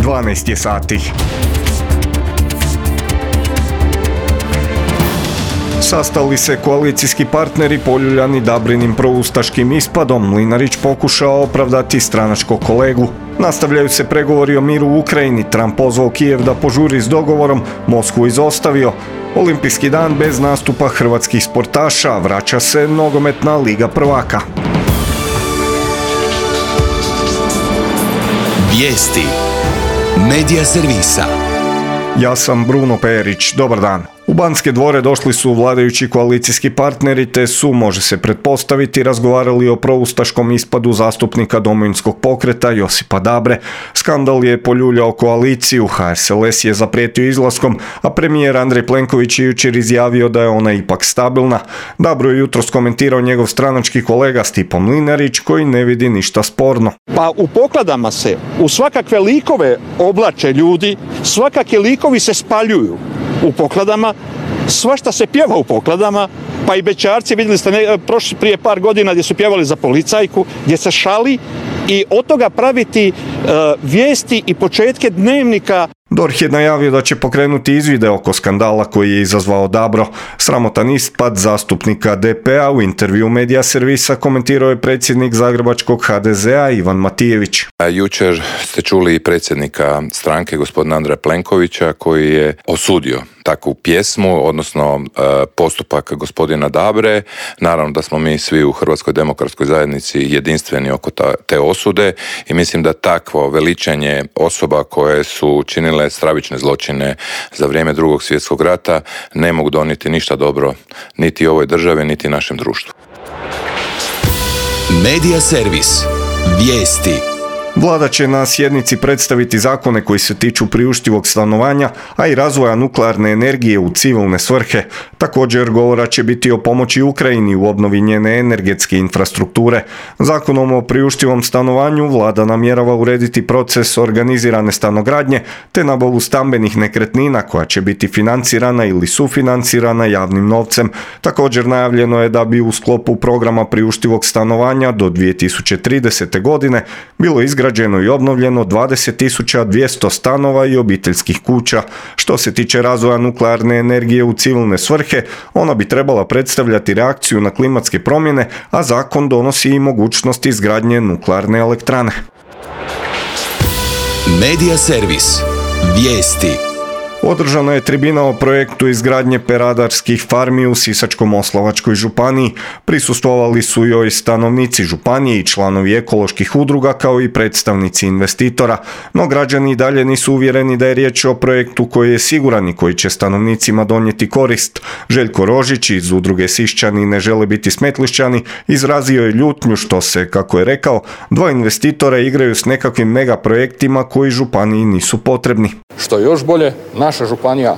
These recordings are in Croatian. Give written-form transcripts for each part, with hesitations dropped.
12 je sati. Sastali se koalicijski partneri poljuljani Dabrinim proustaškim ispadom, Mlinarić pokušao opravdati stranačkog kolegu. Nastavljaju se pregovori o miru u Ukrajini, Trump pozvao Kijev da požuri s dogovorom, Moskvu izostavio. Olimpijski dan bez nastupa hrvatskih sportaša, vraća se nogometna Liga prvaka. Vijesti Medija servisa. Ja sam Bruno Perić, dobar dan. U Banske dvore došli su vladajući koalicijski partneri te su, može se pretpostaviti, razgovarali o proustaškom ispadu zastupnika Domovinskog pokreta Josipa Dabre. Skandal je poljuljao koaliciju, HSLS je zaprijetio izlaskom, a premijer Andrej Plenković je jučer izjavio da je ona ipak stabilna. Dabro je jutros komentirao njegov stranački kolega Stipo Mlinarić koji ne vidi ništa sporno. Pa u pokladama se u svakakve likove oblače ljudi, svakakvi likovi se spaljuju u pokladama, svašta se pjeva u pokladama, pa i bećarci, vidjeli ste prije par godina gdje su pjevali za policajku, gdje se šali i od toga praviti vijesti i početke dnevnika. DORH je najavio da će pokrenuti izvide oko skandala koji je izazvao Dabro. Sramotan ispad zastupnika DP-a u intervju Medija servisa komentirao je predsjednik zagrebačkog HDZ-a Ivan Matijević. Jučer ste čuli i predsjednika stranke, gospodina Andreja Plenkovića, koji je osudio takvu pjesmu, odnosno postupak gospodina Dabre. Naravno da smo mi svi u Hrvatskoj demokratskoj zajednici jedinstveni oko te osude i mislim da takvo veličanje osoba koje su činile stravične zločine za vrijeme Drugog svjetskog rata ne mogu donijeti ništa dobro niti ovoj državi, niti našem društvu. Medija servis. Vijesti. Vlada će na sjednici predstaviti zakone koji se tiču priuštivog stanovanja, a i razvoja nuklearne energije u civilne svrhe. Također govora će biti o pomoći Ukrajini u obnovi njene energetske infrastrukture. Zakonom o priuštivom stanovanju Vlada namjerava urediti proces organizirane stanogradnje te nabavu stambenih nekretnina koja će biti financirana ili sufinancirana javnim novcem. Također najavljeno je da bi u sklopu programa priuštivog stanovanja do 2030. godine bilo izgrađeno i obnovljeno 20.200 stanova i obiteljskih kuća. Što se tiče razvoja nuklearne energije u civilne svrhe, ona bi trebala predstavljati reakciju na klimatske promjene, a zakon donosi i mogućnost izgradnje nuklearne elektrane. Medija servis. Vijesti. Održana je tribina o projektu izgradnje peradarskih farmi u Sisačko-moslavačkoj županiji. Prisustvovali su joj stanovnici županije i članovi ekoloških udruga kao i predstavnici investitora, no građani i dalje nisu uvjereni da je riječ o projektu koji je siguran i koji će stanovnicima donijeti korist. Željko Rožić iz udruge Siščani ne žele biti Smetlišćani izrazio je ljutnju što se, kako je rekao, dva investitora igraju s nekakvim mega projektima koji županiji nisu potrebni. Što je još bolje, naša županija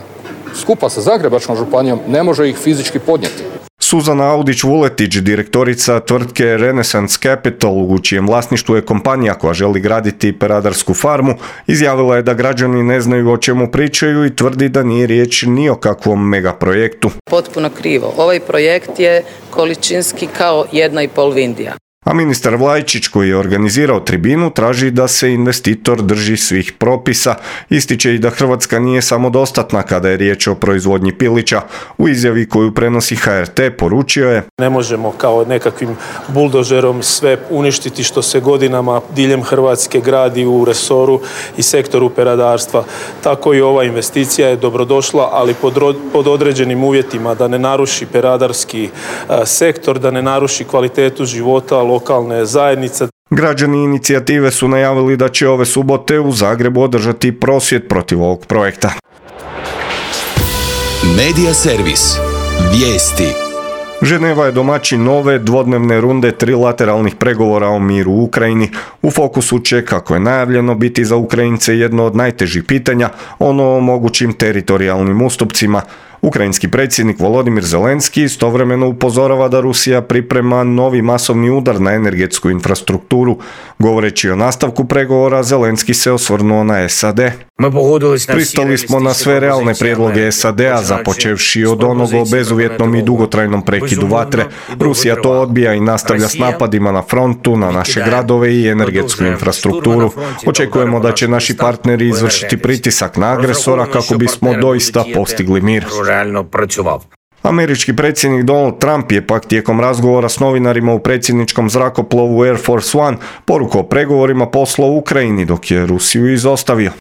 skupa sa Zagrebačkom županijom ne može ih fizički podnijeti. Suzana Audić-Vuletić, direktorica tvrtke Renaissance Capital, u čijem vlasništvu je kompanija koja želi graditi peradarsku farmu, izjavila je da građani ne znaju o čemu pričaju i tvrdi da nije riječ ni o kakvom megaprojektu. Potpuno krivo. Ovaj projekt je količinski kao 1,5 Vindija. A ministar Vlajčić, koji je organizirao tribinu, traži da se investitor drži svih propisa. Ističe i da Hrvatska nije samodostatna kada je riječ o proizvodnji pilića. U izjavi koju prenosi HRT poručio je: ne možemo kao nekakvim buldožerom sve uništiti što se godinama diljem Hrvatske gradi u resoru i sektoru peradarstva. Tako i ova investicija je dobrodošla, ali pod određenim uvjetima, da ne naruši peradarski sektor, da ne naruši kvalitetu života lokalne zajednice. Građani inicijative su najavili da će ove subote u Zagrebu održati prosvjed protiv ovog projekta. Medija servis. Vijesti. Ženeva je domaćin nove dvodnevne runde trilateralnih pregovora o miru u Ukrajini. U fokusu će, kako je najavljeno, biti za Ukrajince jedno od najtežih pitanja, ono o mogućim teritorijalnim ustupcima. Ukrajinski predsjednik Volodimir Zelenski istovremeno upozorava da Rusija priprema novi masovni udar na energetsku infrastrukturu. Govoreći o nastavku pregovora, Zelenski se osvrnuo na SAD. Pristali smo na sve realne prijedloge SAD-a, započevši od onog o bezuvjetnom i dugotrajnom prekidu vatre. Rusija to odbija i nastavlja s napadima na frontu, na naše gradove i energetsku infrastrukturu. Očekujemo da će naši partneri izvršiti pritisak na agresora kako bismo doista postigli mir. Američki predsjednik Donald Trump je pak tijekom razgovora s novinarima u predsjedničkom zrakoplovu Air Force One poruku o pregovorima poslao u Ukrajini, dok je Rusiju izostavio.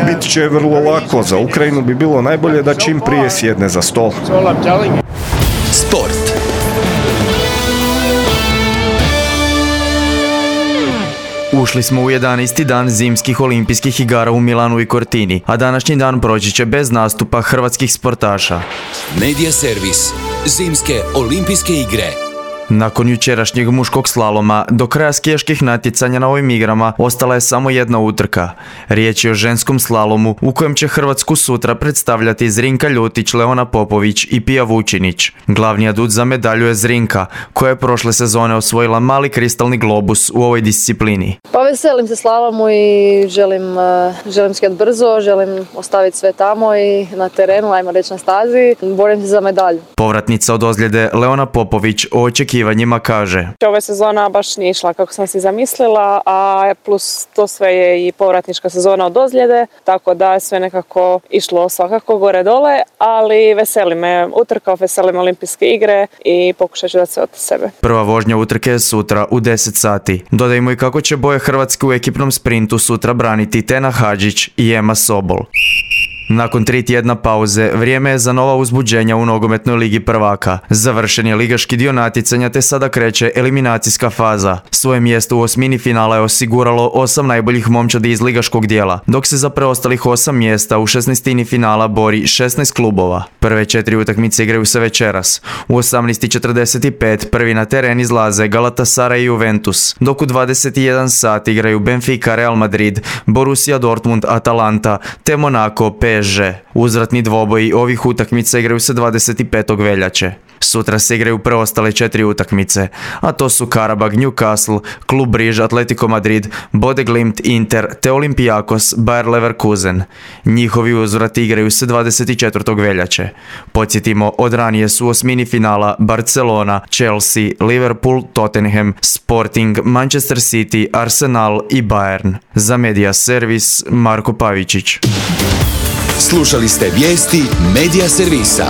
Bit će vrlo lako, za Ukrajinu bi bilo najbolje da čim prije sjedne za stol. Sport. Ušli smo u 11. dan zimskih olimpijskih igara u Milanu i Cortini, a današnji dan proći će bez nastupa hrvatskih sportaša. Medija servis. Zimske olimpijske igre. Nakon jučerašnjeg muškog slaloma, do kraja skijaških natjecanja na ovim igrama ostala je samo jedna utrka. Riječ je o ženskom slalomu u kojem će Hrvatsku sutra predstavljati Zrinka Ljutić, Leona Popović i Pija Vučinić. Glavni adut za medalju je Zrinka, koja je prošle sezone osvojila mali kristalni globus u ovoj disciplini. Pa veselim se slalomu i želim skijat brzo, želim ostaviti sve tamo i na terenu, ajmo reći na stazi, borim se za medalju. Povratnica od ozljede Leona Popović o očekivanjima kaže: Ova sezona baš nije išla kako sam si zamislila, a plus to sve je i povratnička sezona od ozljede, tako da je sve nekako išlo svakako gore dole, ali veseli me utrka, veseli me olimpijske igre i pokušat ću dati sve od sebe. Prva vožnja utrke je sutra u 10 sati. Dodajmo i kako će boje Hrvatske u ekipnom sprintu sutra braniti Tena Hadžić i Ema Sobol. Nakon 3 tjedna pauze, vrijeme je za nova uzbuđenja u nogometnoj ligi prvaka. Završen je ligaški dio natjecanja te sada kreće eliminacijska faza. Svoje mjesto u osmini finala je osiguralo 8 najboljih momčadi iz ligaškog dijela, dok se za preostalih 8 mjesta u 16. finala bori 16 klubova. Prve 4 utakmice igraju se večeras. U 18:45 prvi na teren izlaze Galatasaray i Juventus, dok u 21 sat igraju Benfica, Real Madrid, Borussia Dortmund, Atalanta te Monaco, PSG. Uzvratni dvoboji ovih utakmica igraju se 25. veljače. Sutra se igraju preostale 4 utakmice, a to su Karabag, Newcastle, Klub Briž, Atletico Madrid, Bodeglimt, Inter te Olympiakos, Bayer Leverkusen. Njihovi uzvrati igraju se 24. veljače. Podsjetimo, od ranije su u osmini finala Barcelona, Chelsea, Liverpool, Tottenham, Sporting, Manchester City, Arsenal i Bayern. Za Medija servis Marko Pavičić. Slušali ste vijesti Medija servisa.